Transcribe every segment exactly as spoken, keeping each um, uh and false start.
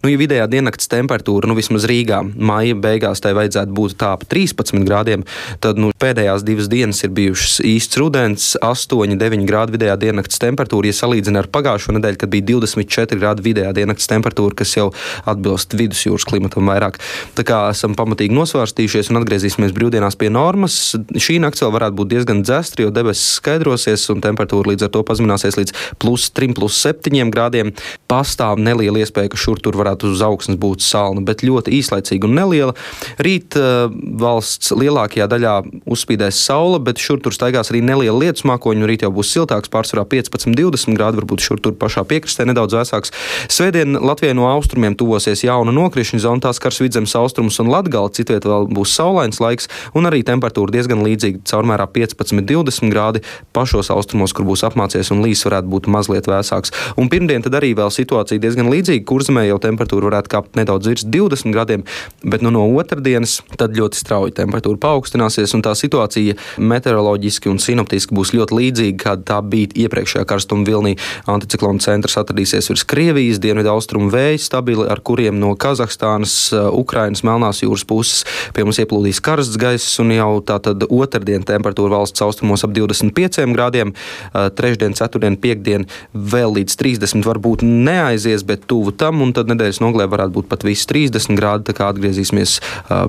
Nu, ja vidējā diennakts temperatūra, nu vismaz Rīgā, maija beigās tai vajadzētu būt tā ap trīspadsmit grādiem, tad nu, pēdējās divas dienas ir bijušas īsts rudens, astoņi deviņi grādi vidējā diennakts temperatūra, ja salīdzina ar pagājušo nedēļu, kad bija divdesmit četri grādi vidējā diennakts temperatūra, kas jau atbilst vidusjūras klimatam vairāk. Tā kā esam pamatīgi nosvārstījušies un atgriezīsimies brīvdienās pie normas. Šī nakts vēl varētu būt diezgan dzestra, jo debesis skaidrosies un temperatūra līdz ar to pazemināsies līdz plus trim, plus septiņiem grādiem. Pastāv neliela iespēja, ka šur tur varētu uz augsnes būt salna, bet ļoti īslaicīga un neliela. Rīt uh, valsts lielākajā daļā uzspīdēs saule, bet šur tur staigās arī neliela lietus mākoņi, un rīt jau būs siltāks, pārsvarā piecpadsmit divdesmit grādi, varbūt šur tur pašā piekrastē nedaudz vēsāks. Svētdien Latvijai no austrumiem tuvosies jauna nokrišņu zona, tās skars Vidzemes austrumus un Latgali, citviet vēl būs saulains laiks, un arī temperatūra diezgan līdzīga, caurmērā piecpadsmit divdesmit grādi, pašos austrumos, kur būs apmācies un līs varētu būt mazliet vēsāks. Un pirmdien tad arī vēl situācija diezgan līdzīga, Kurzemē jau temperatūra varētu kāpt nedaudz virs divdesmit grādiem, bet nu no otrdienas tad ļoti strauji temperatūra paaugstināsies, un tā situācija meteoroloģiski un sinoptiski būs ļoti līdzīga, kāda tā bija iepriekšējā karstuma vilnī. Anticiklona centrs atradīsies virs Krievijas, dienvidu austrumu vēji stabili, ar kuriem no Kazahstānas, Ukrainas, Melnās jūras puses pie mums ieplūdīs karsts gaiss, un jau tātad otrdien temperatūra valsts austrumos ap divdesmit pieciem grādiem, trešdien, ceturtdien, piekdien vēl līdz trīsdesmit varbūt neaizies, bet tuvu tam, un tad nedēļas nogalē varētu būt pat visi trīsdesmit grādi, tā kā atgriezīsimies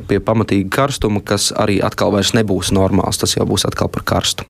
pie pamatīga karstuma, kas arī atkal vairs nebūs normāls, tas jau būs atkal par karstu.